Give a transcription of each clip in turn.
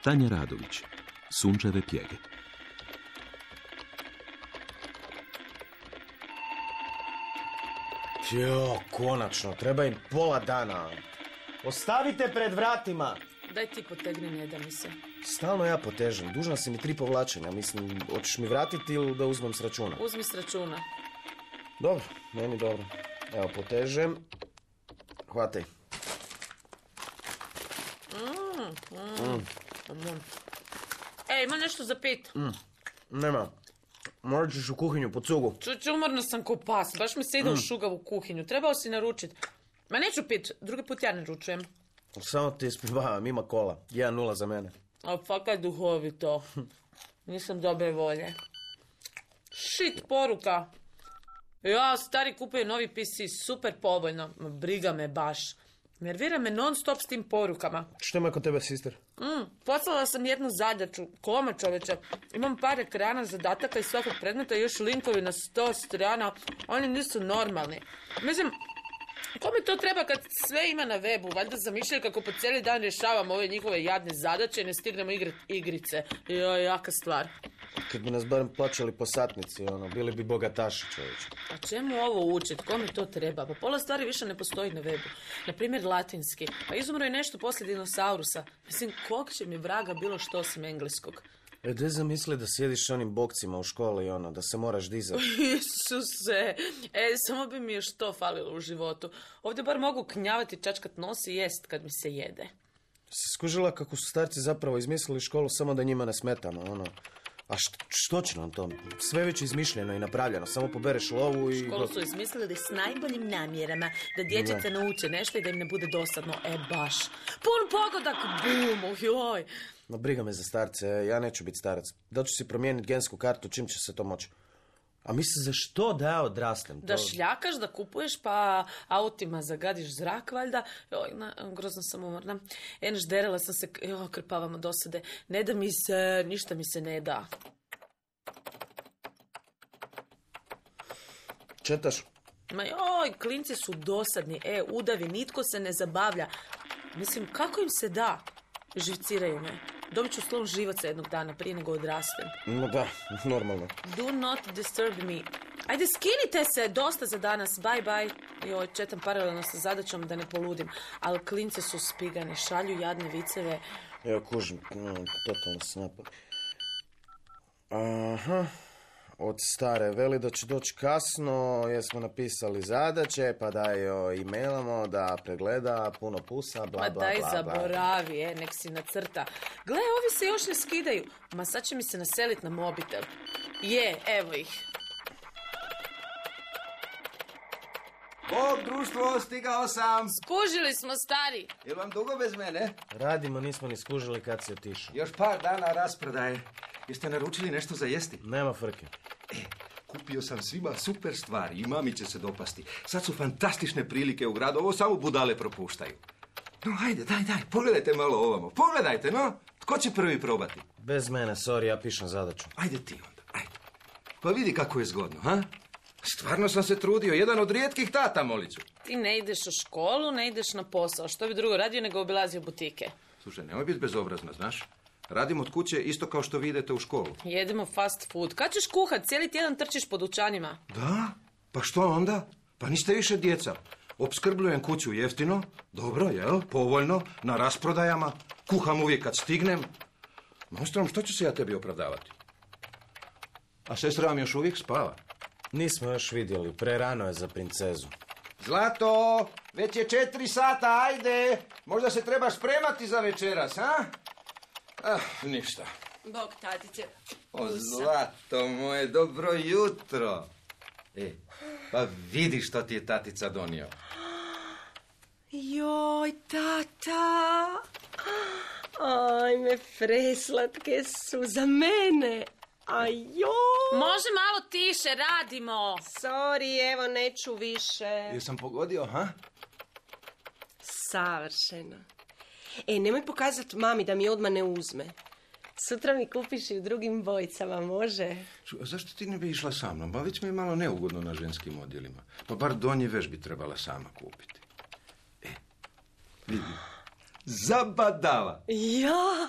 Tanja Radović, Sunčeve pjege. Jo, konačno, treba im pola dana. Ostavite pred vratima. Daj ti potegni, ne da mi se. Stalno ja potežem, dužna si mi 3 povlačenja. Mislim, hoćeš mi vratiti ili da uzmem s računa? Uzmi s računa. Dobro, meni dobro. Evo, potežem. Hvataj. Ej, ima nešto za pit? Nema. Morat ćeš u kuhinju po cugu. Umorna sam ko pas, baš mi se ide u šugavu kuhinju. Trebao si naručit. Ma neću pit, drugi put ja naručujem. Samo ti ispivavam, ima kola. 1-0 za mene. A fakat duhovito. Nisam dobre volje. Shit poruka. Ja, stari kupuje novi PC, super povoljno. Ma briga me baš. Nervira me non stop s tim porukama. Što ima kod tebe, sister? Poslala sam jednu zadaću. Kome, čoveče? Imam par ekrana zadataka iz svakog predmeta i još linkovi na 100 strana. Oni nisu normalni. Mislim, kome to treba kad sve ima na webu? Valjda zamišljaju kako po cijeli dan rješavamo ove njihove jadne zadaće i ne stignemo igrati igrice. Jaka stvar. Kad bi nas barem plaćali po satnici, bili bi bogataši, čovječe. A čemu ovo učit? Kome to treba? Pa pola stvari više ne postoji na webu. Naprimjer, latinski. Pa izumro je nešto poslije dinosaurusa. Mislim, kog će mi vraga bilo što osim engleskog? Gdje zamisli da sjediš onim bokcima u školi, da se moraš dizati? Isuse, samo bi mi još to falilo u životu. Ovdje bar mogu knjavati, čačkat nos i jest kad mi se jede. Skužila kako su starci zapravo izmislili školu samo da njima ne smetamo, A što će nam to? Sve već izmišljeno i napravljeno. Samo pobereš lovu i... Školu su izmislili s najboljim namjerama. Da dječice nauče nešto i da im ne bude dosadno. Baš. Pun pogodak. Bum. Joj. No, briga me za starce. Ja neću biti starac. Da ću si promijeniti gensku kartu. Čim će se to moći? A misli za što da ja odrastem? Da šljakaš, da kupuješ, pa autima zagadiš zrak, valjda. Grozno sam umorna. Derala sam se, krpavamo dosade. Ne da mi se, ništa mi se ne da. Četaš? Ma klinci su dosadni. Udavi, nitko se ne zabavlja. Mislim, kako im se da? Živciraju me. Dobit ću slom živaca jednog dana prije nego odrastem. No da, normalno. Do not disturb me. Ajde, skinite se, dosta za danas, bye bye. Četam paralelno sa zadaćom da ne poludim. Ali klince su spigane, šalju jadne viceve. Kužim, totalno se napad. Aha, od stare veli da će doći kasno, jer smo napisali zadaće, pa da joj e-mailamo, da pregleda, puno pusa, bla, bla, bla. Ma daj zaboravi, nek si nacrta. Gle, ovi se još ne skidaju. Ma sad će mi se naselit na mobitel. Evo ih. Bog, društvo, stigao sam. Skužili smo, stari. Jel vam dugo bez mene? Radimo, nismo ni skužili kad si otišao. Još par dana rasprodaje. Jeste naručili nešto za jesti? Nema frke. Kupio sam svima super stvari i mami će se dopasti. Sad su fantastične prilike u gradu, ovo samo budale propuštaju. No, ajde, daj, pogledajte malo ovamo. Pogledajte, no. Tko će prvi probati? Bez mene, sorry, ja pišem zadaću. Ajde ti onda, ajde. Pa vidi kako je zgodno, ha? Stvarno sam se trudio, jedan od rijetkih tata, Moliću. Ti ne ideš u školu, ne ideš na posao. Što bi drugo radio nego obilazio butike? Slušaj, nemoj biti bezobrazna, znaš? Radim od kuće isto kao što vi idete u školu. Jedemo fast food. Kad ćeš kuhat? Cijeli tjedan trčiš po dućanima. Da? Pa što onda? Pa niste više djeca. Opskrbljujem kuću jeftino, dobro, jel? Povoljno, na rasprodajama. Kuham uvijek kad stignem. Monstrom, što ću se ja tebi opravdavati? A sestra vam još uvijek spava. Nismo još vidjeli, prerano je za princezu. Zlato, već je 4 sata, ajde. Možda se trebaš spremati za večeras, a? Ništa. Bog, tatice. O, Zlato moje, dobro jutro. Pa vidi što ti je tatica donio. Joj, tata. Ajme, preslatke su za mene. Ajoj. Može malo tiše, radimo. Sorry, evo, neću više. Jesam pogodio, ha? Savršeno. Nemoj pokazati mami da mi odmah ne uzme. Sutra mi kupiš i u drugim bojicama, može? A zašto ti ne bi išla sa mnom? Pa već mi je malo neugodno na ženskim odjelima. Pa bar donji veš bi trebala sama kupiti. Vidi. Zabadava. Ja,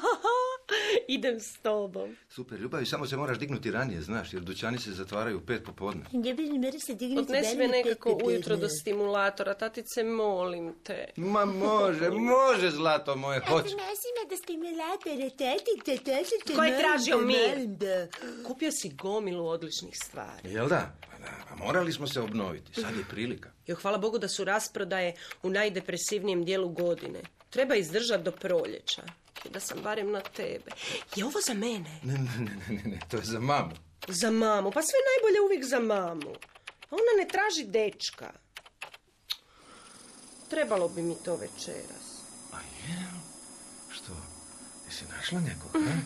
Idem s tobom. Super, Ljubavi, samo se moraš dignuti ranije, znaš, jer dućani se zatvaraju u 5 popodne. Odnesi me nekako ujutro do stimulatora, tatice, molim te. Ma može, zlato moje, hoće. Nosi me do stimulatora, tatice, Ko je tražio mir? Kupio si gomilu odličnih stvari. Jel da? Pa morali smo se obnoviti, sad je prilika. Jo, hvala Bogu da su rasprodaje u najdepresivnijem dijelu godine. Treba izdržati do proljeća. Da sam barem na tebe. Je ovo za mene? Ne, to je za mamu. Za mamu? Pa sve najbolje uvijek za mamu. Ona ne traži dečka. Trebalo bi mi to večeras. A je? Što? Jesi našla nekog, ne?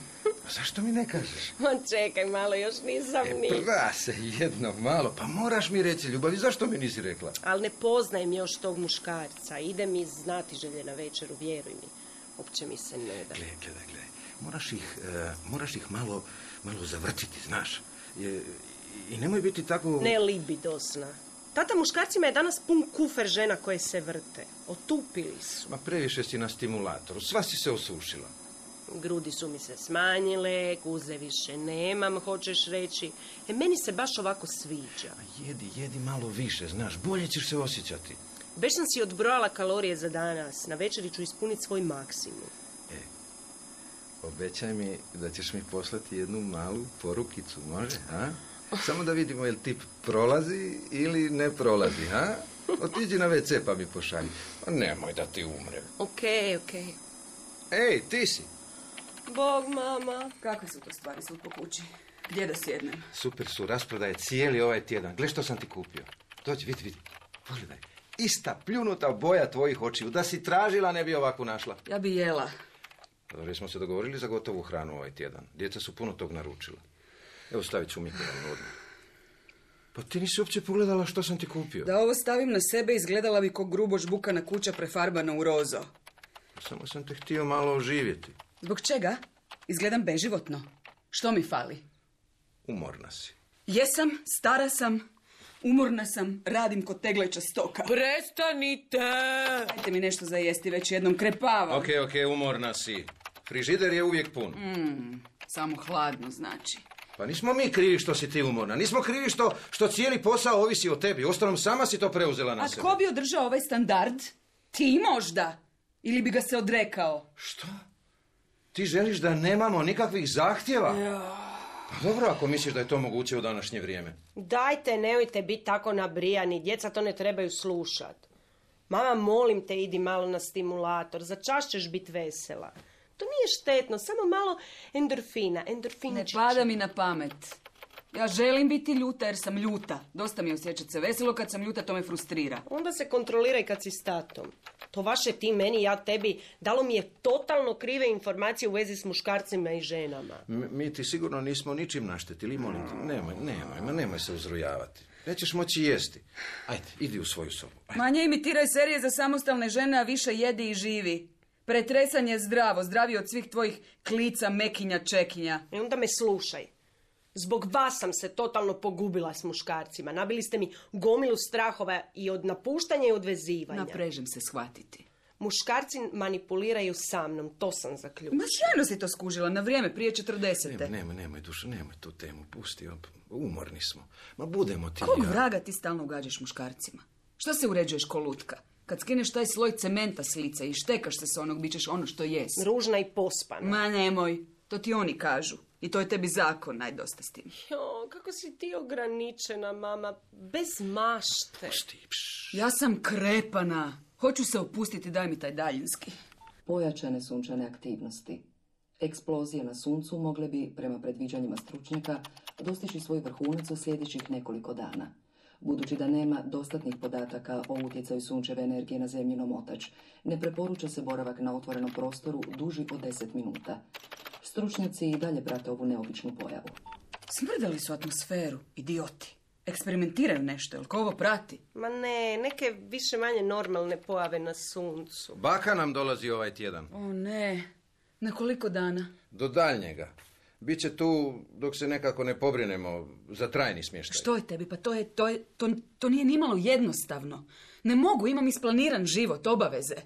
A zašto mi ne kažeš? Ma čekaj malo, još nisam ni. Prase, jedno malo. Pa moraš mi reći, Ljubavi, zašto mi nisi rekla? Ali ne poznajem još tog muškarca. Ide mi znati želje na večeru, vjeruj mi. Uopće mi se ne da. Gle. Moraš ih malo zavrtiti, znaš. I nemoj biti tako... Ne libidosna. Tata muškarcima je danas pun kufer žena koje se vrte. Otupili su. Ma previše si na stimulatoru, sva si se osušila. Grudi su mi se smanjile, guze više nemam, hoćeš reći. Meni se baš ovako sviđa. Jedi malo više, znaš, bolje ćeš se osjećati. Već sam si odbrojala kalorije za danas. Na večeri ću ispuniti svoj maksimum. Obećaj mi da ćeš mi poslati jednu malu porukicu, može, a? Samo da vidimo jel tip prolazi ili ne prolazi, a? Otiđi na WC pa mi pošalji. Pa nemoj da ti umrem. Okej. Ej, ti si. Bog, mama. Kakve su to stvari svud po kući? Gdje da sjednem? Super su, rasprodaje cijeli ovaj tjedan. Gle što sam ti kupio. Dođi, vidi. Pogledaj. Ista pljunuta boja tvojih očiju. Da si tražila, ne bi ovako našla. Ja bi jela. Dobro, smo se dogovorili za gotovu hranu ovaj tjedan. Djeca su puno tog naručila. Evo, stavit ću u mikrovalnu odmah. Pa ti nisi uopće pogledala što sam ti kupio. Da ovo stavim na sebe, izgledala bi ko grubo žbukana kuća prefarbana u rozo. Samo sam te htio malo oživjeti. Zbog čega? Izgledam beživotno. Što mi fali? Umorna si. Jesam, stara sam, umorna sam, radim kod tegleća stoka. Prestanite! Dajte mi nešto za jesti, već jednom krepavam. Ok, umorna si. Frižider je uvijek pun. Samo hladno znači. Pa nismo mi krivi što si ti umorna. Nismo krivi što cijeli posao ovisi o tebi. Ostalom, sama si to preuzela na sebe. A tko bi održao ovaj standard? Ti možda? Ili bi ga se odrekao? Što? Ti želiš da nemamo nikakvih zahtjeva? Pa dobro, ako misliš da je to moguće u današnje vrijeme. Dajte, nemojte biti tako nabrijani. Djeca to ne trebaju slušat. Mama, molim te, idi malo na stimulator. Za čas ćeš biti vesela. To nije štetno, samo malo endorfina. Ne pada mi na pamet. Ja želim biti ljuta jer sam ljuta. Dosta mi je osjećati se veselo, kad sam ljuta to me frustrira. Onda se kontroliraj kad si s tatom. To vaše ti meni, ja tebi, dalo mi je totalno krive informacije u vezi s muškarcima i ženama. Mi ti sigurno nismo ničim naštetili, molim te. Nemoj se uzrujavati. Nećeš moći jesti. Ajde, idi u svoju sobu. Ajde. Manje imitiraj serije za samostalne žene, a više jedi i živi. Pretresanje je zdravo, zdravije od svih tvojih klica, mekinja, čekinja. I onda me slušaj. Zbog vas sam se totalno pogubila s muškarcima. Nabili ste mi gomilu strahova i od napuštanja i od vezivanja. Naprežem se shvatiti. Muškarci manipuliraju sa mnom, to sam zaključila. Ma sjajno si to skužila, na vrijeme, prije 40. Nemoj, dušo, nemoj tu temu, pusti, umorni smo. Ma budemo ti. Kog vraga ti stalno ugađaš muškarcima? Što se uređuješ ko lutka? Kad skineš taj sloj cementa s lica i štekaš se s onog, bit ćeš ono što jesi. Ružna i pospana. Ma nemoj, to ti oni kažu. I to je tebi zakon, najdosta s tim. Jo, kako si ti ograničena, mama, bez mašte. Ja sam krepana. Hoću se opustiti, daj mi taj daljinski. Pojačane sunčane aktivnosti. Eksplozije na suncu mogle bi, prema predviđanjima stručnjaka, dostići svoj vrhunac u sljedećih nekoliko dana. Budući da nema dostatnih podataka o utjecaju sunčeve energije na zemljin omotač, ne preporuča se boravak na otvorenom prostoru duži od 10 minuta. Stručnjaci i dalje prate ovu neobičnu pojavu. Smrdali su atmosferu, idioti. Eksperimentiraju nešto, jel ko ovo prati? Ma ne, neke više manje normalne pojave na suncu. Baka nam dolazi ovaj tjedan. O ne, na koliko dana? Do daljnjega. Biće tu dok se nekako ne pobrinemo za trajni smještaj. Što je tebi? Pa to nije nimalo jednostavno. Ne mogu, imam isplaniran život, obaveze.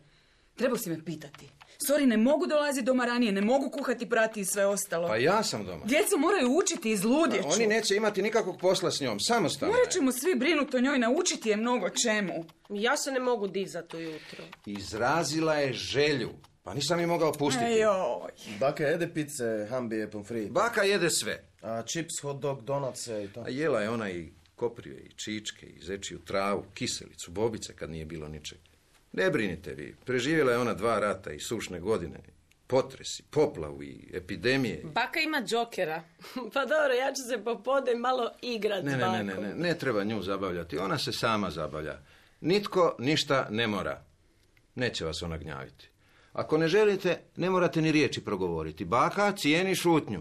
Trebao si me pitati. Sorry, ne mogu dolaziti doma ranije, ne mogu kuhati, prati i sve ostalo. Pa ja sam doma. Djeca moraju učiti, izludjeću. Oni neće imati nikakvog posla s njom, samostalno. Morat ćemo svi brinuti o njoj, naučiti je mnogo čemu. Ja se ne mogu dizati ujutro. Izrazila je želju. Pa nisam je mogao pustiti. Ejoj. Baka jede pice, hambije, pomfrit. Baka jede sve. A čips, hot dog, donatse i to. A jela je ona i koprije, i čičke, i zečiju travu, kiselicu, bobice kad nije bilo ničeg. Ne brinite vi, preživjela je ona 2 rata i sušne godine, potresi, poplavu i epidemije. Baka ima džokera. Pa dobro, ja ću se popodne malo igrat s bakom. Ne treba nju zabavljati, ona se sama zabavlja. Nitko ništa ne mora. Neće vas ona gnjaviti. Ako ne želite, ne morate ni riječi progovoriti. Baka cijeni šutnju.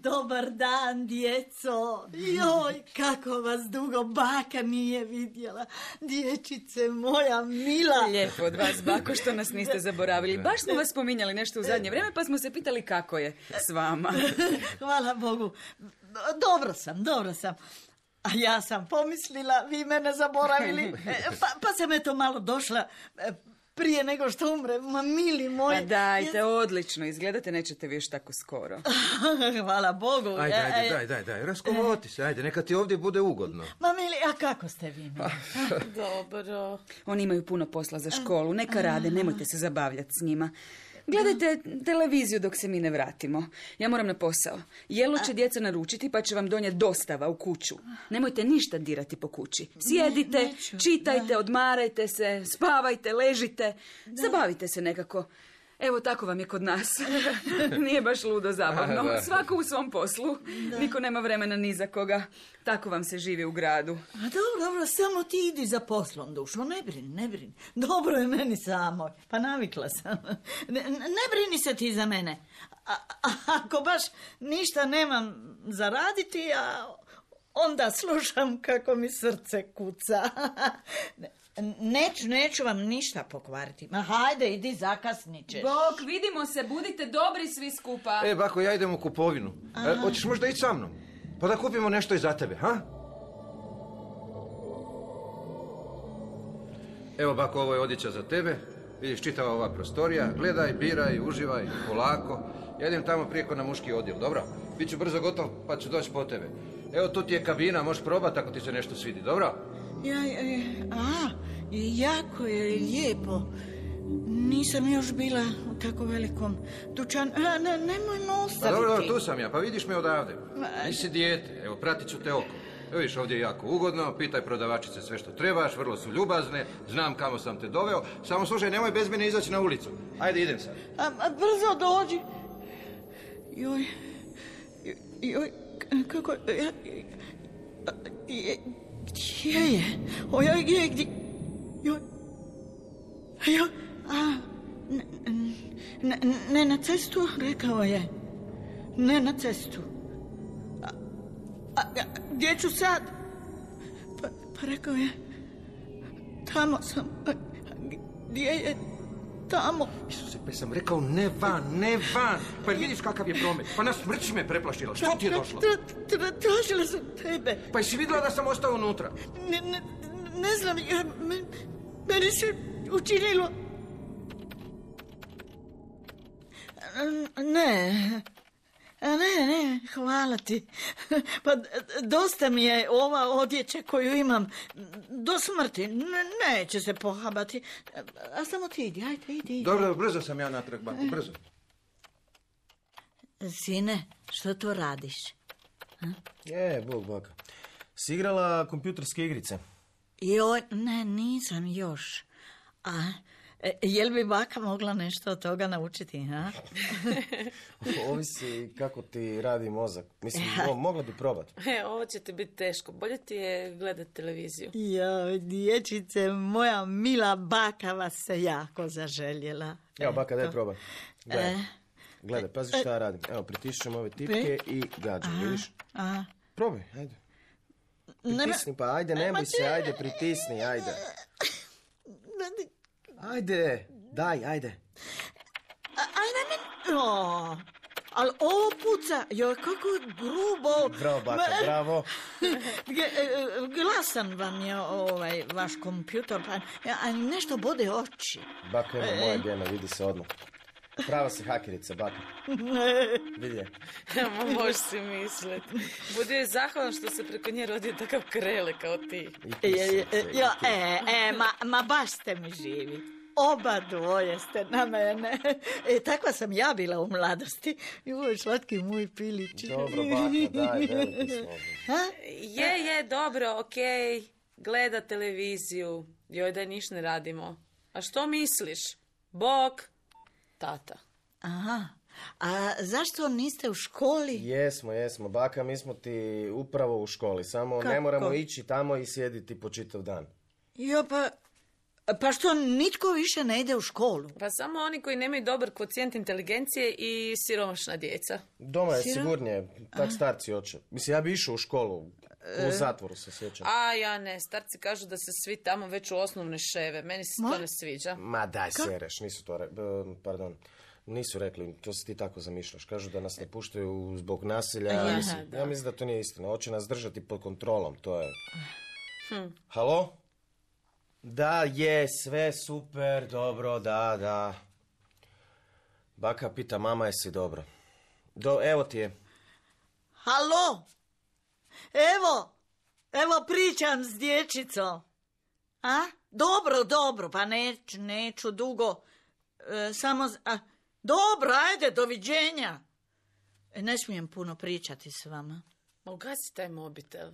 Dobar dan, djeco. Joj, kako vas dugo baka nije vidjela. Dječice moja mila. Lijepo od vas, bako, što nas niste zaboravili. Baš smo vas spominjali nešto u zadnje vrijeme, pa smo se pitali kako je s vama. Hvala Bogu. Dobro sam. A ja sam pomislila, vi mene zaboravili. Pa sam eto malo došla prije nego što umrem. Ma mili moji. Pa dajte, odlično. Izgledate, nećete vi još tako skoro. Hvala Bogu. Daj, raskovoti se, ajde, neka ti ovdje bude ugodno. Ma mili, a kako ste vi mili? Dobro. Oni imaju puno posla za školu, neka rade, nemojte se zabavljati s njima. Gledajte televiziju dok se mi ne vratimo. Ja moram na posao. Jelo će djeca naručiti, pa će vam donijeti dostava u kuću. Nemojte ništa dirati po kući. Sjedite, čitajte, odmarajte se, spavajte, ležite. Zabavite se nekako. Evo, tako vam je kod nas. Nije baš ludo zabavno. Svako u svom poslu. Niko nema vremena ni za koga. Tako vam se živi u gradu. A dobro, samo ti idi za poslom, Dušo. Ne brini. Dobro je meni samo. Pa navikla sam. Ne brini se ti za mene. Ako baš ništa nemam za raditi, onda slušam kako mi srce kuca. Neću vam ništa pokvariti. Ma hajde, idi, zakasnit ćeš. Bok, vidimo se, budite dobri svi skupa. Bako, ja idem u kupovinu. Hoćeš možda ići sa mnom? Pa da kupimo nešto i za tebe, ha? Evo, bako, ovo je odjeća za tebe. Vidiš, čitava ova prostorija. Gledaj, biraj, uživaj, polako. Ja idem tamo prije na muški odjel, dobro? Biću brzo gotov, pa ću doći po tebe. Evo, tu ti je kabina, možeš probati ako ti se nešto svidi, dobro? Jako je lijepo. Nisam još bila u tako velikom dućanu. Nemoj me ostaviti. Dobro, tu sam ja, pa vidiš me odavde. Nisi dijete, evo, pratit ću te oko. Evo viš, ovdje je jako ugodno, pitaj prodavačice sve što trebaš, vrlo su ljubazne, znam kamo sam te doveo. Samo slušaj, nemoj bez mene izaći na ulicu. Ajde, idem sad. Brzo dođi. Joj, kako... Gdje je? Gdje? Ne na cestu, rekao je. Ne na cestu. Gdje ću sad? Pa rekao je, tamo sam. Gdje je? Tamo. Isuse, pa sam rekao ne van. Pa vidiš kakav je promet. Pa na smrć me preplašila. Što ti je došlo? Tražila sam tebe. Pa jesi vidjela da sam ostao unutra? Ne znam, meni se učinilo. Ne, hvala ti. Pa dosta mi je ova odjeća koju imam. Do smrti. Neće se pohabati. A samo ti idi, ajde, idi. Dobro, brzo sam ja natrag, bako, brzo. Sine, što to radiš? Bog baka. Si igrala kompjuterske igrice? Joj, ne, nisam još. Jel bi baka mogla nešto od toga naučiti, ha? Ovisi kako ti radi mozak. Mislim, mogla bi probati. Ovo će ti biti teško. Bolje ti je gledati televiziju. Joj, dječice, moja mila baka vas se jako zaželjela. Evo, baka, daj probaj. Gledaj, pazi šta radim. Evo, pritišćem ove tipke i gađam, vidiš? Probaj, ajde. Pritisni, pa ajde, nemoj se, ajde, pritisni, ajde. Ajde, daj, ajde. ali ovo puca, joj, kako je grubo. Bravo, baka, bravo. Glasan vam je vaš kompjutor, a nešto bode oči. Baka, ima moje gene, vidi se odmah. Prava si hakerica, baka. Vidi je. Možeš si misliti. Budi je zahvalan što se preko nje rodio takav krele kao ti. Ma baš ste mi živi. Oba dvoje ste na mene. Takva sam ja bila u mladosti. Joj, slatki moj pilić. Dobro, baka, daj, veliki smo. Je, dobro, okej. Gleda televiziju. Joj, da niš ne radimo. A što misliš? Bok, tata. Aha. A zašto niste u školi? Jesmo. Baka, mi smo ti upravo u školi. Samo kako? Ne moramo ići tamo i sjediti po čitav dan. Jo, pa što nitko više ne ide u školu? Pa samo oni koji nemaju dobar kvocijent inteligencije i siromašna djeca. Doma je sigurnije, tak starci hoće. Mislim, ja bi išao u školu, u zatvoru se sjećam. A ja ne, starci kažu da se svi tamo već u osnovne ševe. Meni se to ne sviđa. Ma daj sereš, nisu rekli, to si ti tako zamišljaš. Kažu da nas ne puštaju zbog nasilja. Ja mislim da to nije istina. Hoće nas držati pod kontrolom, to je... Halo? Da, je, sve super, dobro, da. Baka pita, mama, jesi dobro? Evo ti je. Halo? Evo pričam s dječicom. A? Dobro, pa neću dugo. Dobro, ajde, doviđenja. Ne smijem puno pričati s vama. Ma ugasi taj mobitel.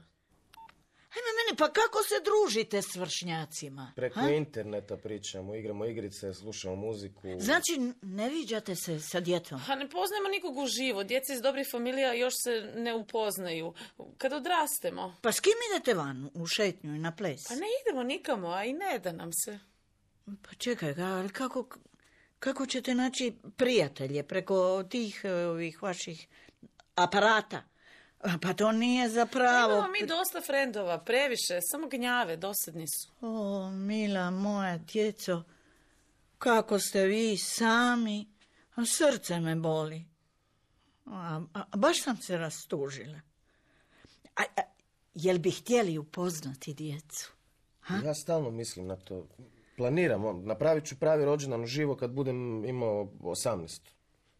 Ajme meni, pa kako se družite s vršnjacima? Preko interneta pričamo, igramo igrice, slušamo muziku. Znači, ne viđate se sa djetom? A ne poznajemo nikog uživo. Djeca iz dobrih familija još se ne upoznaju. Kad odrastemo. Pa s kim idete van u šetnju i na ples? Pa ne idemo nikamo, a i ne da nam se. Pa čekaj, ali kako ćete naći prijatelje preko tih ovih vaših aparata? Pa to nije zapravo... Imamo mi dosta frendova, previše, samo gnjave, dosadni su. O, mila moja djeco, kako ste vi sami, a srce me boli. A baš sam se rastužila. Jel bi htjeli upoznati djecu? Ja stalno mislim na to. Planiram, napravit ću pravi rođendan uživo kad budem imao 18.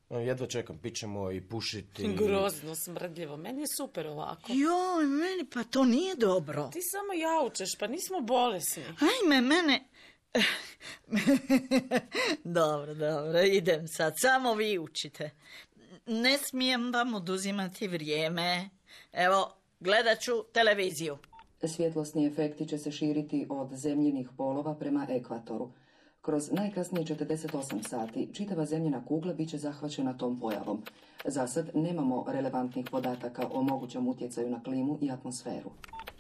Jedva čekam, pićemo i pušiti. Grozno, smrdljivo. Meni je super ovako. Joj, meni pa to nije dobro. Ti samo jaučeš, pa nismo bolesni. Ajme, mene... Dobro, idem sad. Samo vi učite. Ne smijem vam oduzimati vrijeme. Evo, gledat ću televiziju. Svjetlosni efekti će se širiti od zemljinih polova prema ekvatoru. Kroz najkasnije 48 sati čitava zemljina kugla bit će zahvaćena tom pojavom. Za sad nemamo relevantnih podataka o mogućem utjecaju na klimu i atmosferu.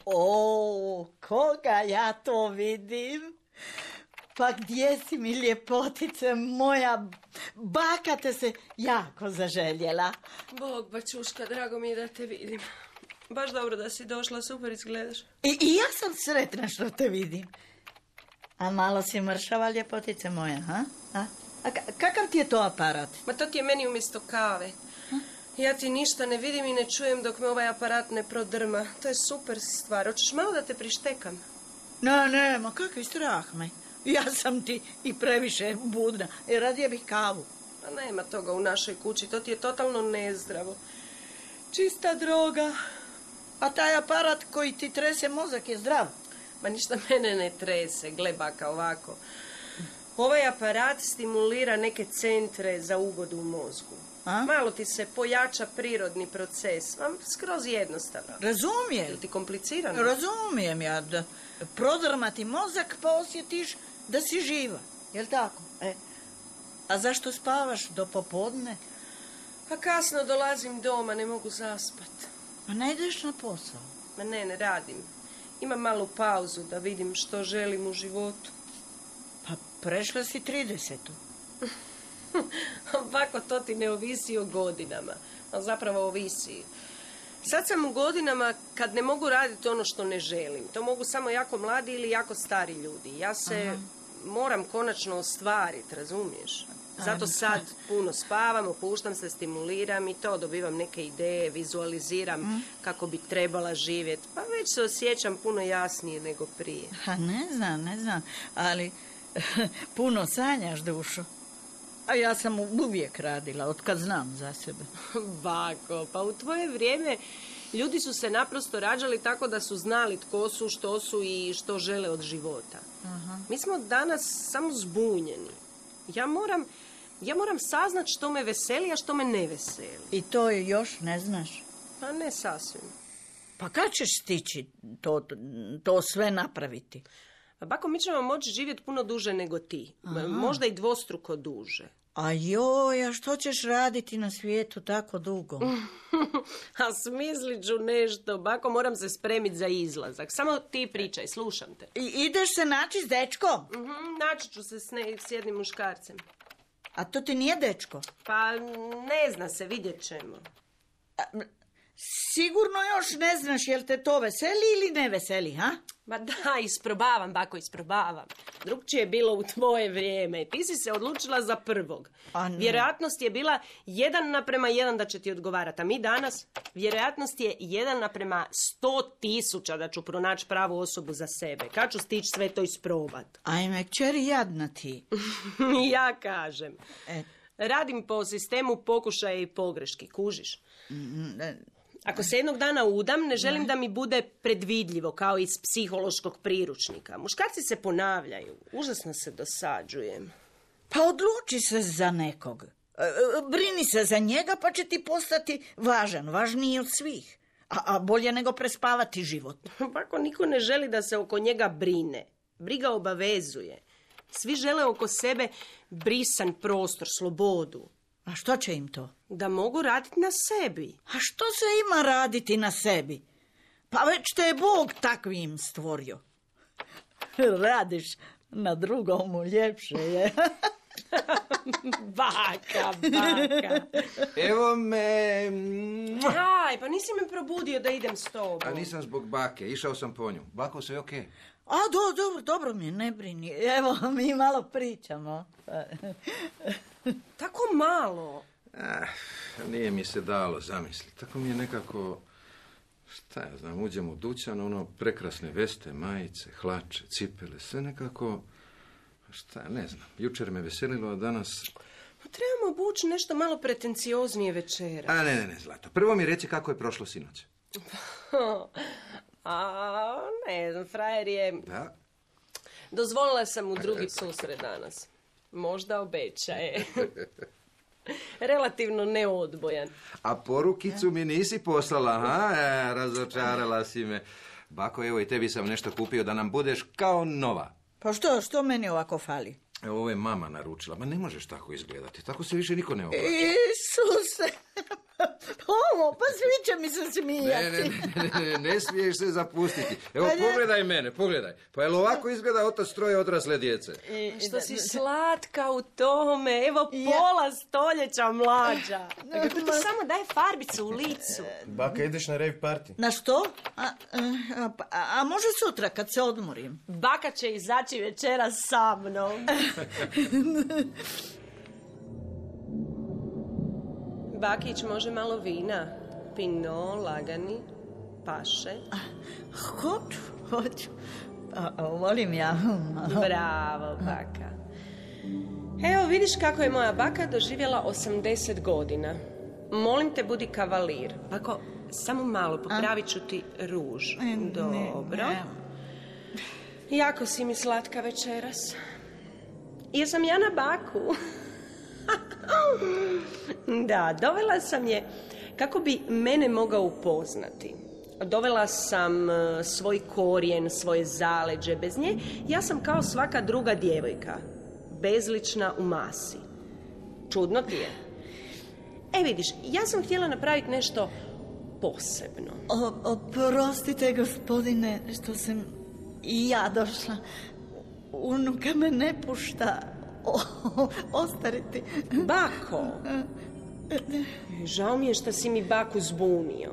O, koga ja to vidim? Pa gdje si mi ljepotice moja? Baka te se jako zaželjela. Bog, bačuška, drago mi je da te vidim. Baš dobro da si došla, super izgledaš. I ja sam sretna što te vidim. A malo si mršava, ljepotice moja, ha? A kakav ti je to aparat? Ma to ti je meni umjesto kave. Ja ti ništa ne vidim i ne čujem dok me ovaj aparat ne prodrma. To je super stvar. Hoćeš malo da te prištekam? Ne, ma kakvi strah me. Ja sam ti i previše budna. Radije bih kavu. Pa nema toga u našoj kući. To ti je totalno nezdravo. Čista droga. A taj aparat koji ti trese mozak je zdrav? Ma ništa mene ne trese, gle baka ovako. Ovaj aparat stimulira neke centre za ugodu u mozgu. Malo ti se pojača prirodni proces. Skroz jednostavno. Razumijem. Je ti komplicirano? Razumijem ja da prodrmati mozak pa osjetiš da si živa. Jel tako? A zašto spavaš do popodne? Pa kasno dolazim doma, ne mogu zaspat. Pa ne ideš na posao? Ma ne radim. Imam malu pauzu da vidim što želim u životu. Pa prešla si 30. Ovako to ti ne ovisi o godinama. A zapravo ovisi. Sad sam u godinama kad ne mogu raditi ono što ne želim. To mogu samo jako mladi ili jako stari ljudi. Ja se moram konačno ostvariti, razumiješ? Zato sad puno spavam, opuštam se, stimuliram i to, dobivam neke ideje, vizualiziram kako bi trebala živjeti. Pa već se osjećam puno jasnije nego prije. Ne znam, ali puno sanjaš, dušo. A ja sam uvijek radila, otkad znam za sebe. Bako, pa u tvoje vrijeme ljudi su se naprosto rađali tako da su znali tko su, što su i što žele od života. Mi smo danas samo zbunjeni. Ja moram saznat što me veseli, a što me ne veseli. I to još ne znaš? Pa ne sasvim. Pa kad ćeš stići to sve napraviti? Bako, mi ćemo moći živjeti puno duže nego ti. Možda i dvostruko duže. A što ćeš raditi na svijetu tako dugo? A smislit ću nešto. Bako, moram se spremiti za izlazak. Samo ti pričaj, slušam te. Ideš se naći s dečkom? Naći ću se s jednim muškarcem. A to ti nije dečko? Pa ne zna se, vidjet ćemo. Sigurno još ne znaš jel te to veseli ili ne veseli, ha? Ma da, isprobavam, bako, isprobavam. Drugčije je bilo u tvoje vrijeme. Ti si se odlučila za prvog. Vjerojatnost je bila 1:1 da će ti odgovarati. A mi danas, vjerojatnost je 1:100.000 da ću pronaći pravu osobu za sebe. Kad ću stići sve to isprobat? Ajme, kćeri, jadna ti. Ja kažem. Radim po sistemu pokušaja i pogreški, kužiš? Ako se jednog dana udam, ne želim da mi bude predvidljivo, kao iz psihološkog priručnika. Muškarci se ponavljaju. Užasno se dosađujem. Pa odluči se za nekog. Brini se za njega, pa će ti postati važniji od svih. A bolje nego prespavati život. Pa ako niko ne želi da se oko njega brine. Briga obavezuje. Svi žele oko sebe brisan prostor, slobodu. A što će im to? Da mogu raditi na sebi. A što se ima raditi na sebi? Pa već te je Bog takvim stvorio. Radiš na drugomu, ljepše je. Baka. Evo me... Aj, pa nisi me probudio da idem s tobom. A nisam zbog bake, išao sam po nju. Bako, sve okej? A, dobro mi je, ne brini. Evo, mi malo pričamo. Tako malo. Nije mi se dalo zamisliti. Tako mi je nekako, šta ja znam, uđem u dućan, prekrasne veste, majice, hlače, cipele, sve nekako, ne znam. Jučer me veselilo, a danas... Trebamo obući nešto malo pretencioznije večera. A ne, Zlato. Prvo mi reci kako je prošlo sinoć. Ne znam, frajer je... Da? Dozvolila sam mu drugi susret danas. Možda obećaje. Relativno neodbojan. A porukicu mi nisi poslala, ha? Razočarala si me. Bako, evo i tebi sam nešto kupio da nam budeš kao nova. Pa što meni ovako fali? Evo, ovo je mama naručila. Ma ne možeš tako izgledati. Tako se više niko ne obraća. Isuse! Pa svi će mi se smijati. Ne smiješ se zapustiti. Evo, pogledaj mene, pogledaj. Pa jel ovako izgleda otac troje odrasle djece? Što si slatka u tome. Evo, pola stoljeća mlađa. Kako ti samo daje farbicu u licu. Baka, ideš na rave party? Na što? A može sutra kad se odmorim? Baka će izaći večeras sa mnom. Bakić, može malo vina? Pinot, lagani, paše. Hoću. Volim ja. Bravo, baka. Evo, vidiš kako je moja baka doživjela 80 godina. Molim te, budi kavalir. Bako, samo malo, popravit ću ti ruž. Dobro. Jako si mi slatka večeras. Jesam ja na baku? Da, dovela sam je kako bi mene mogao upoznati. Dovela sam svoj korijen, svoje zaleđe. Bez nje ja sam kao svaka druga djevojka. Bezlična u masi. Čudno ti je? Vidiš, ja sam htjela napraviti nešto posebno. Oprostite, gospodine, što sam i ja došla. Unuka me ne pušta ostariti. Bako! Žao mi je što si mi baku zbunio.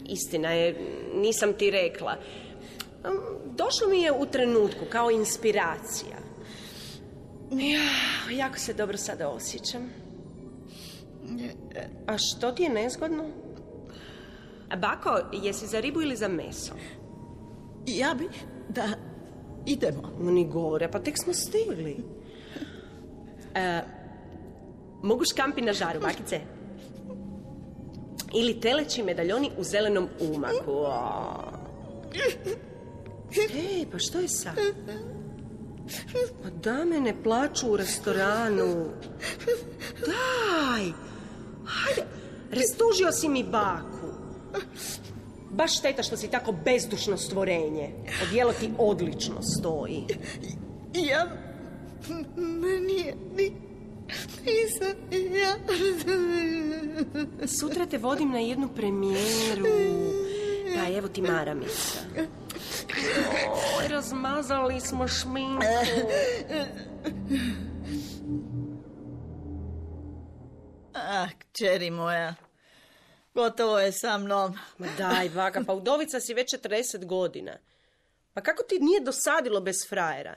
Istina je, nisam ti rekla. Došlo mi je u trenutku kao inspiracija. Jako se dobro sada osjećam. A što ti je nezgodno? Bako, jesi za ribu ili za meso? Ja bih da idemo. Ni gore, pa tek smo stigli. Mogu škampi na žaru, bakice? Ili teleći medaljoni u zelenom umaku. Ej, pa što je sad? Pa dame ne plaču u restoranu. Daj! Hajde, rastužio si mi baku. Baš šteta što si tako bezdušno stvorenje. Odijelo ti odlično stoji. Ja... Nisam ja... Sutra te vodim na jednu premijeru. Da, evo ti maramica. Oj, razmazali smo šminku. Kćeri moja, gotovo je sa mnom. Ma daj, Vaka, pa udovica si već 40 godina. Pa kako ti nije dosadilo bez frajera?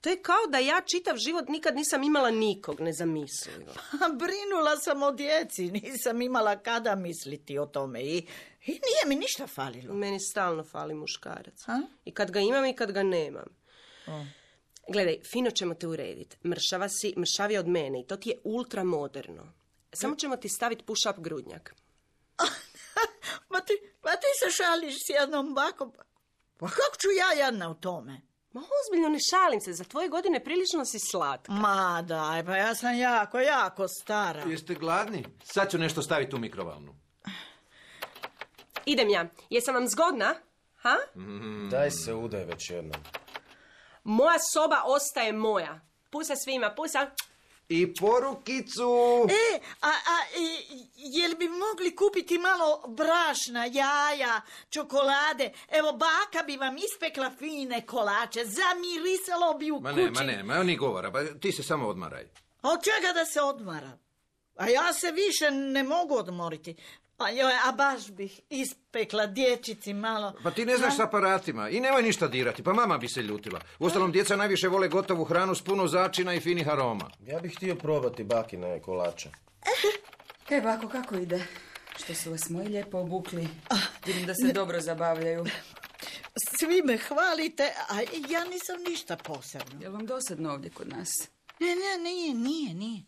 To je kao da ja čitav život nikad nisam imala nikog, nezamislivo. Pa brinula sam o djeci, nisam imala kada misliti o tome i nije mi ništa falilo. Meni stalno fali muškarac. I kad ga imam i kad ga nemam. Gledaj, fino ćemo te urediti. Mršava si, mršavija od mene i to ti je ultra moderno. Samo ćemo ti staviti push-up grudnjak. Pa ti se šališ s jednom bakom. Pa kako ću ja jadna u tome? Ma ozbiljno, ne šalim se, za tvoje godine prilično si slatka. Ma daj, pa ja sam jako stara. Jeste gladni? Sad ću nešto staviti u mikrovalnu. Idem ja. Jesam vam zgodna? Ha? Daj se udaj već jednom. Moja soba ostaje moja. Pusa svima, pusa. I porukicu. Jel bi mogli kupiti malo brašna, jaja, čokolade? Evo, baka bi vam ispekla fine kolače, zamirisalo bi u kući. Ma ni govora, pa ti se samo odmaraj. A od čega da se odmara? A ja se više ne mogu odmoriti. A baš bih ispekla dječici malo. Pa ti ne znaš s aparatima i nemoj ništa dirati, pa mama bi se ljutila. Uostalom, djeca najviše vole gotovu hranu s puno začina i finih aroma. Ja bih htio probati bakine kolače. Bako, kako ide? Što su vas moji lijepo obukli? Vidim da se dobro zabavljaju. Svi me hvalite, a ja nisam ništa posebno. Je li vam dosadno ovdje kod nas? Nije.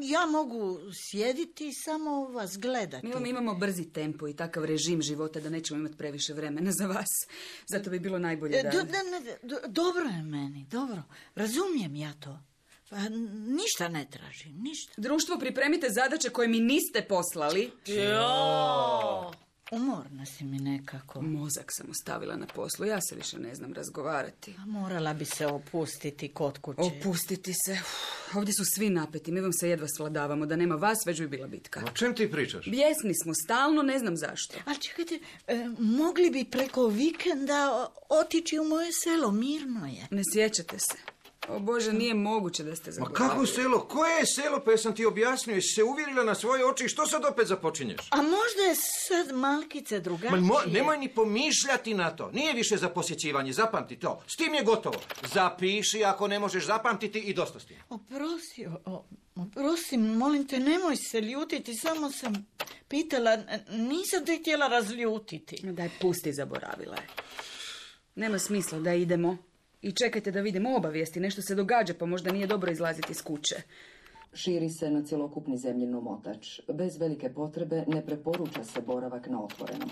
Ja mogu sjediti i samo vas gledati. Mi imamo brzi tempo i takav režim života da nećemo imati previše vremena za vas. Zato bi bilo najbolje da... Dobro je meni, dobro. Razumijem ja to. Pa ništa ne tražim, ništa. Društvo, pripremite zadaće koje mi niste poslali. Umorna si mi nekako. Mozak sam ostavila na poslu, ja se više ne znam razgovarati. Morala bi se opustiti kod kuće. Opustiti se? Ovdje su svi napeti, mi vam se jedva svladavamo. Da nema vas, već bi bila bitka. O čem ti pričaš? Bijesni smo, stalno, ne znam zašto. Ali čekajte, mogli bi preko vikenda otići u moje selo, mirno je. Ne sjećate se. O Bože, nije moguće da ste zaboravili. Ma kako selo? Koje je selo? Pa jesam ti objasnio, jesi se uvjerila na svoje oči i što sad opet započinješ? A možda je sad malkice drugačije. Nemoj ni pomišljati na to. Nije više za posjećivanje, zapamti to. S tim je gotovo. Zapiši ako ne možeš zapamtiti i dosta s tim. Oprosti, molim te, nemoj se ljutiti, samo sam pitala, nisam te htjela razljutiti. Daj, pusti, zaboravila je. Nema smisla da idemo. I čekajte da vidimo obavijesti, nešto se događa, pa možda nije dobro izlaziti iz kuće. Širi se na cjelokupni zemljin omotač. Bez velike potrebe ne preporuča se boravak na otvorenom.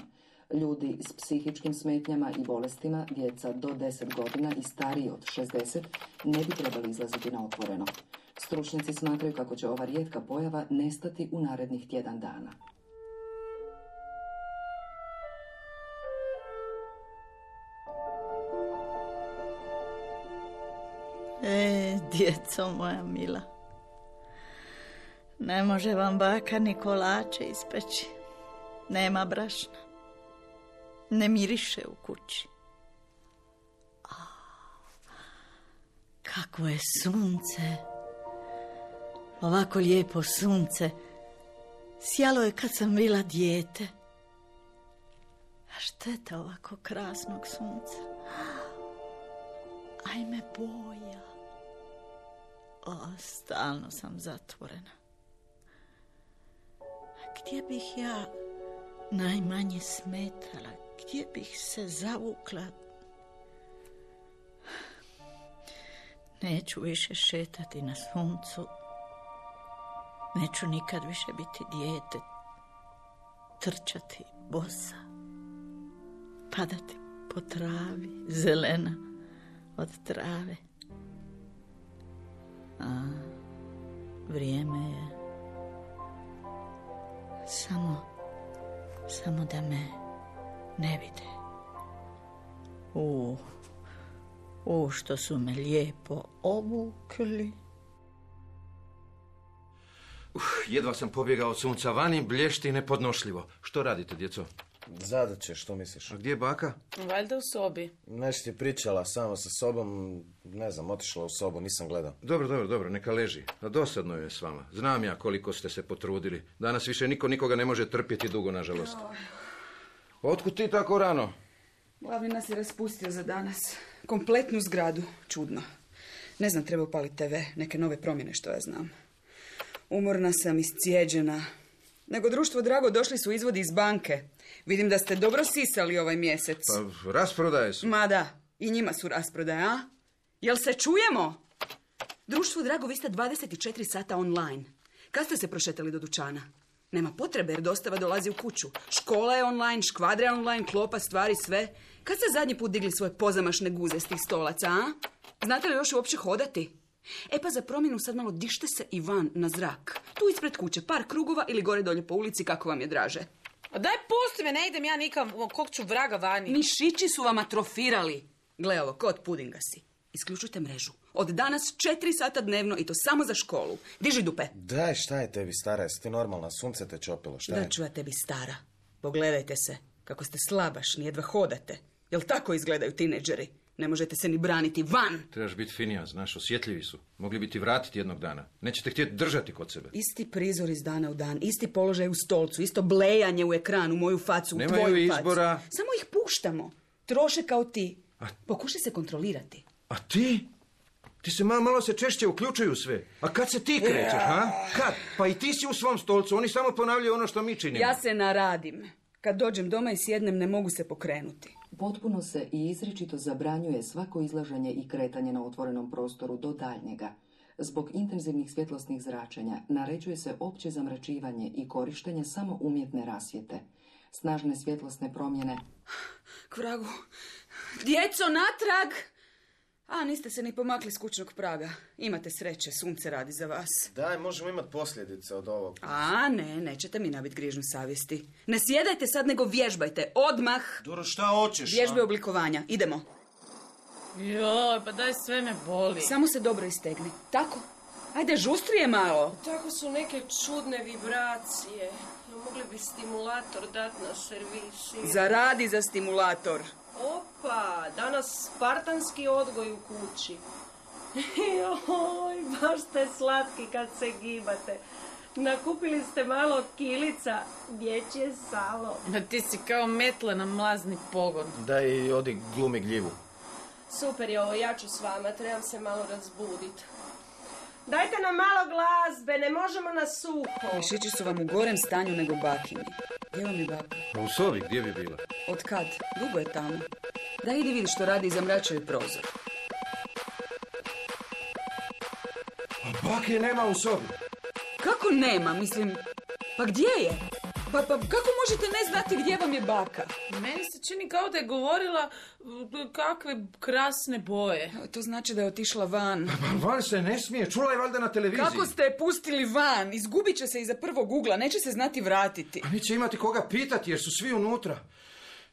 Ljudi s psihičkim smetnjama i bolestima, djeca do 10 godina i stariji od 60, ne bi trebali izlaziti na otvoreno. Stručnjaci smatraju kako će ova rijetka pojava nestati u narednih tjedan dana. Djeco moja mila, ne može vam baka ni kolače ispeći. Nema brašna. Ne miriše u kući. Kako je sunce. Ovako lijepo sunce. Sjalo je kad sam bila dijete. A šteta ovako krasnog sunca. Ajme boja. Stalno sam zatvorena. Gdje bih ja najmanje smetala? Gdje bih se zavukla? Neću više šetati na suncu. Neću nikad više biti dijete. Trčati bosa. Padati po travi, zelena od trave. Vrijeme je samo da me ne vide. Što su me lijepo obukli. Jedva sam pobjegao od sunca vani, blješti nepodnošljivo. Što radite, djeco? Zadaće, što misliš? A gdje je baka? Valjda u sobi. Nešto ti je pričala sama sa sobom, ne znam, otišla u sobu, nisam gledao. Dobro, neka leži. A dosadno je s vama. Znam ja koliko ste se potrudili. Danas više niko nikoga ne može trpjeti dugo, nažalost. Otkud ti tako rano? Glavni nas je raspustio za danas. Kompletnu zgradu. Čudno. Ne znam, treba upaliti TV. Neke nove promjene, što ja znam. Umorna sam, iscijeđena. Nego društvo drago, došli su izvodi iz banke. Vidim da ste dobro sisali ovaj mjesec. Pa, rasprodaje su. Ma da, i njima su rasprodaje, a? Jel se čujemo? Društvo drago, vi ste 24 sata online. Kad ste se prošetali do dućana? Nema potrebe jer dostava dolazi u kuću. Škola je online, škvadra je online, klopa, stvari, sve. Kad ste zadnji put digli svoje pozamašne guze s tih stolaca, a? Znate li još uopće hodati? E pa za promjenu sad malo dište se i van na zrak. Tu ispred kuće, par krugova ili gore dolje po ulici, kako vam je draže. A daj pusti me, ne idem ja nikam, kog ću vraga vani. Mišići su vam atrofirali. Gle ovo, kod pudinga si. Isključujte mrežu. Od danas 4 sata dnevno i to samo za školu. Diži dupe. Daj, šta je tebi, stara? Jesi ti normalna? Sunce te čopilo, šta je? Da ću ja tebi, stara. Pogledajte se, kako ste slabašni, jedva hodate. Jel tako izgledaju tineđeri? Ne možete se ni braniti, van! Trebaš biti finija, znaš, osjetljivi su. Mogli bi ti vratiti jednog dana. Nećete htjeti držati kod sebe. Isti prizor iz dana u dan, isti položaj u stolcu, isto blejanje u ekran, u moju facu, u tvoju facu. Nemaju izbora. Samo ih puštamo. Troše kao ti. Pokušaj se kontrolirati. A ti? Ti se malo se češće uključuju sve. A kad se ti krećeš, ha? Kad? Pa i ti si u svom stolcu, oni samo ponavljaju ono što mi činimo. Ja se naradim. Kad dođem doma i sjednem, ne mogu se pokrenuti. Potpuno se i izričito zabranjuje svako izlaženje i kretanje na otvorenom prostoru do daljnjega. Zbog intenzivnih svjetlosnih zračenja naređuje se opće zamračivanje i korištenje samo umjetne rasvjete. Snažne svjetlosne promjene... K vragu. Djeco, natrag! A, niste se ni pomakli s kućnog praga. Imate sreće, sunce radi za vas. Daj, možemo imati posljedice od ovog. A, ne, nećete mi nabiti grižnju savjesti. Ne sjedajte sad, nego vježbajte. Odmah! Duro, šta hoćeš? Vježbe oblikovanja. Idemo. Joj, pa daj, sve me boli. Samo se dobro istegni. Tako. Ajde, žustrije malo. Tako su neke čudne vibracije. Mogli bi stimulator dati na servisi. Zaradi za stimulator. Opa, danas spartanski odgoj u kući. Joj, baš ste slatki kad se gibate. Nakupili ste malo kilica, dječje salo. Ma ti si kao metle na mlazni pogon. Daj, odi glumi gljivu. Super je ovo, ja ću s vama, trebam se malo razbuditi. Dajte nam malo glazbe, ne možemo na suho. Mišići su vam u gorem stanju nego bakini. Gdje vam je baka? U sobi, gdje bi bila? Od kad? Dugo je tamo. Daj, idi vidi što radi i zamračaju prozor. A bake nema u sobi. Kako nema? Mislim, pa gdje je? Pa kako možete ne znati gdje vam je baka? Meni se čini kao da je govorila kakve krasne boje. To znači da je otišla van. Van se ne smije, čula je valjda na televiziji. Kako ste je pustili van? Izgubit će se iza prvog ugla, neće se znati vratiti. A neće imati koga pitati jer su svi unutra.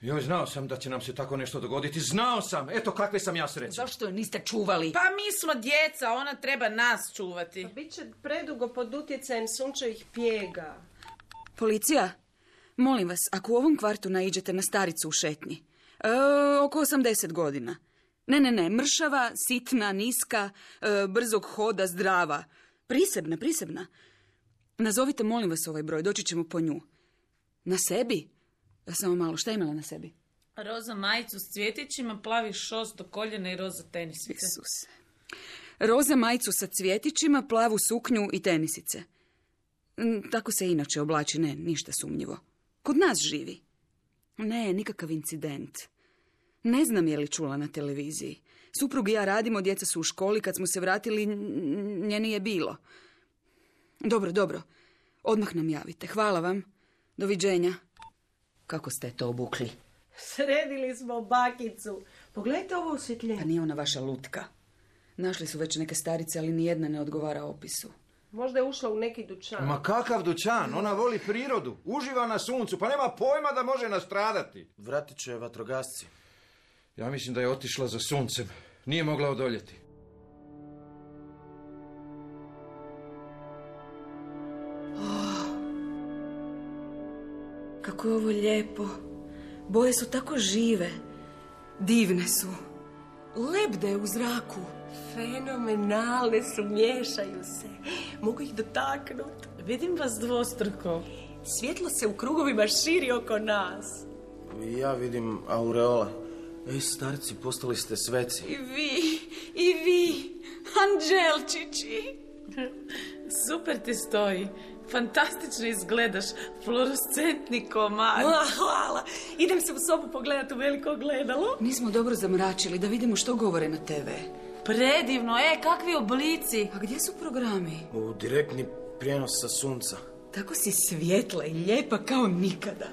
Joj, znao sam da će nam se tako nešto dogoditi. Znao sam, eto kakve sam ja sreće. Zašto je niste čuvali? Pa mi smo djeca, ona treba nas čuvati. Pa bit će predugo pod utjecajem sunčevih pjega. Policija, molim vas, ako u ovom kvartu naiđete na staricu u šetnji, oko 80 godina. Ne, mršava, sitna, niska, brzog hoda, zdrava. Prisebna. Nazovite, molim vas, ovaj broj, doći ćemo po nju. Na sebi? Samo malo, šta je imala na sebi? Roza majicu s cvjetićima, plavi šos do koljena i roza tenisice. Isuse. Roza majicu sa cvjetićima, plavu suknju i tenisice. Tako se inače oblači, ne, ništa sumnjivo. Kod nas živi. Ne, nikakav incident. Ne znam je li čula na televiziji. Suprug i ja radimo, djeca su u školi, kad smo se vratili, nje nije bilo. Dobro. Odmah nam javite. Hvala vam. Doviđenja. Kako ste to obukli? Sredili smo bakicu. Pogledajte ovo osvjetljenje. Pa nije ona vaša lutka. Našli su već neke starice, ali nijedna ne odgovara opisu. Možda je ušla u neki dućan. Ma kakav dućan? Ona voli prirodu. Uživa na suncu, pa nema pojma da može nastradati. Vratit će vatrogasci. Ja mislim da je otišla za suncem. Nije mogla odoljeti. Kako je ovo lijepo. Boje su tako žive. Divne su. Lebde u zraku. Fenomenalne su, miješaju se. Mogu ih dotaknuti. Vidim vas dvostruko. Svjetlo se u krugovima širi oko nas. Ja vidim aureola. Ej, starci, postali ste sveci. I vi, anđelčići. Super ti stoji. Fantastično izgledaš. Fluorescentni komad. Hvala. Idem se u sobu pogledati u veliko ogledalo. Nismo dobro zamračili da vidimo što govore na TV. Predivno, kakvi oblici. A gdje su programi? U direktni prijenos sa sunca. Tako si svjetla i lijepa kao nikada.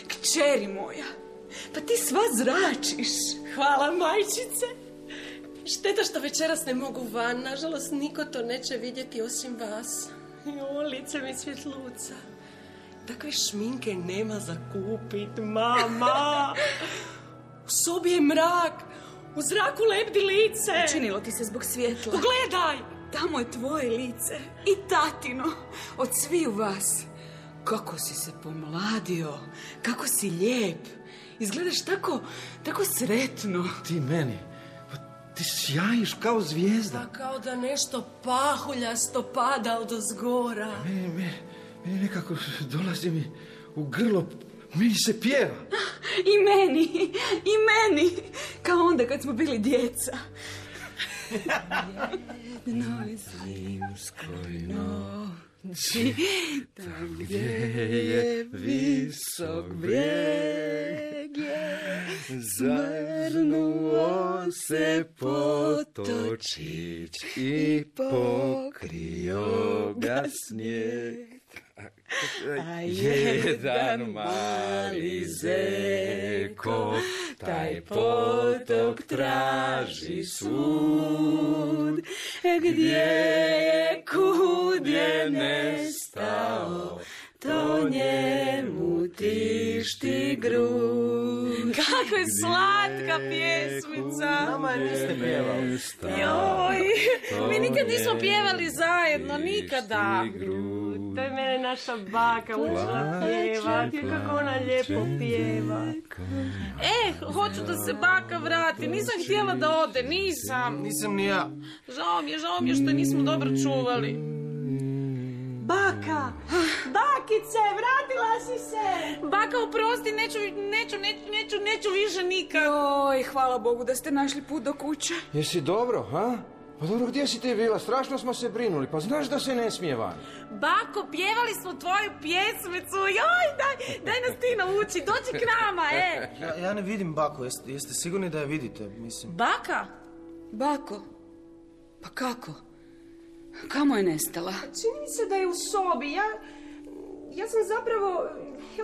Kćeri moja, pa ti sva zračiš. Hvala, majčice. Šteta što večeras ne mogu van. Nažalost, niko to neće vidjeti osim vas. Jo, lice mi svjetluca. Takve šminke nema za kupit, mama. U sobi je mrak. U zraku lebdi lice. Učinilo ti se zbog svjetla. Pogledaj. Tamo je tvoje lice. I tatino. Od sviju vas. Kako si se pomladio. Kako si lijep. Izgledaš tako sretno. Ti meni. Ti sjajiš kao zvijezda. Pa kao da nešto pahuljasto pada odozgora. Meni nekako dolazi mi u grlo. Meni se pjeva. I meni. Kao onda kad smo bili djeca. Jednoj zimskoj noći, tam gdje je visok brijeg, zvrnuo se potočić i pokrio ga snijeg. A jedan mali zeko taj potok traži svud, gdje je kud je nestao, to njemu tišti grud. Kako je slatka pjesmica. Nama je niste pjevali. Joj, mi nikad nismo pjevali zajedno, nikada. To je mene naša baka učila pjevati. Kako ona lijepo pjeva. Hoću da se baka vrati. Nisam htjela da ode, nisam. Nisam ni ja. Žao mi je što nismo dobro čuvali. Baka! Bakice, vratila si se! Baka, oprosti, neću više nikad. Oj, hvala Bogu da ste našli put do kuće. Jesi dobro, ha? Pa dobro, gdje si ti bila? Strašno smo se brinuli. Pa znaš da se ne smije van. Bako, pjevali smo tvoju pjesmicu. Joj, daj nas ti nauči. Dođi k nama, Ja ne vidim Bako. Jeste sigurni da je vidite, mislim? Baka? Bako? Pa kako? Kamo je nestala? Čini mi se da je u sobi. Ja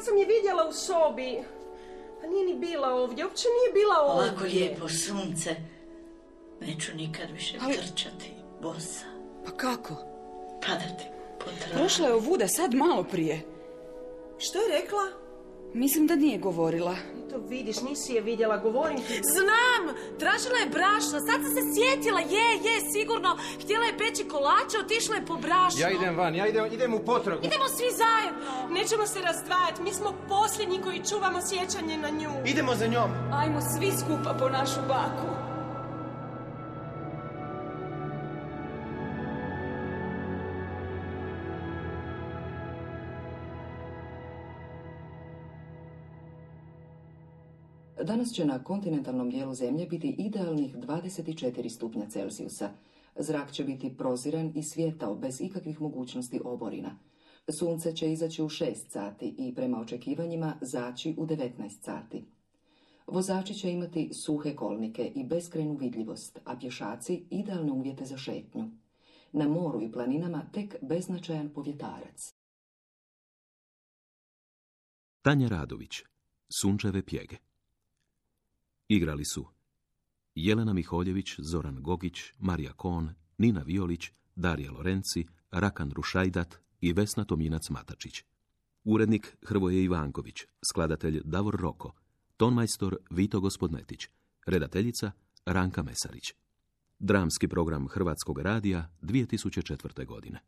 sam je vidjela u sobi. A nije ni bila ovdje. Uopće nije bila ovdje. Ovako lijepo sunce. Neću nikad više trčati bosa. Pa kako? Padati po travi. Prošla je ovuda sad malo prije. Što je rekla? Mislim da nije govorila. To vidiš, nisi je vidjela, govorim ti. Znam, tražila je brašno, sad sam se sjetila, je, sigurno. Htjela je peći kolače, otišla je po brašno. Ja idem van, idem u potragu. Idemo svi zajedno. Nećemo se razdvajati, mi smo posljednji koji čuvamo sjećanje na nju. Idemo za njom. Ajmo svi skupa po našu baku. Danas će na kontinentalnom dijelu zemlje biti idealnih 24 stupnja Celzijusa. Zrak će biti proziran i svjetao bez ikakvih mogućnosti oborina. Sunce će izaći u 6 sati i prema očekivanjima zaći u 19 sati. Vozači će imati suhe kolnike i beskrajnu vidljivost, a pješaci idealne uvjete za šetnju. Na moru i planinama tek beznačajan povjetarac. Tanja Radović, Sunčeve pjege. Igrali su Jelena Miholjević, Zoran Gogić, Marija Kon, Nina Violić, Darija Lorenci, Rakan Rušajdat i Vesna Tominac-Matačić. Urednik Hrvoje Ivanković, skladatelj Davor Roko, tonmajstor Vito Gospodnetić, redateljica Ranka Mesarić. Dramski program Hrvatskog radija 2004. godine.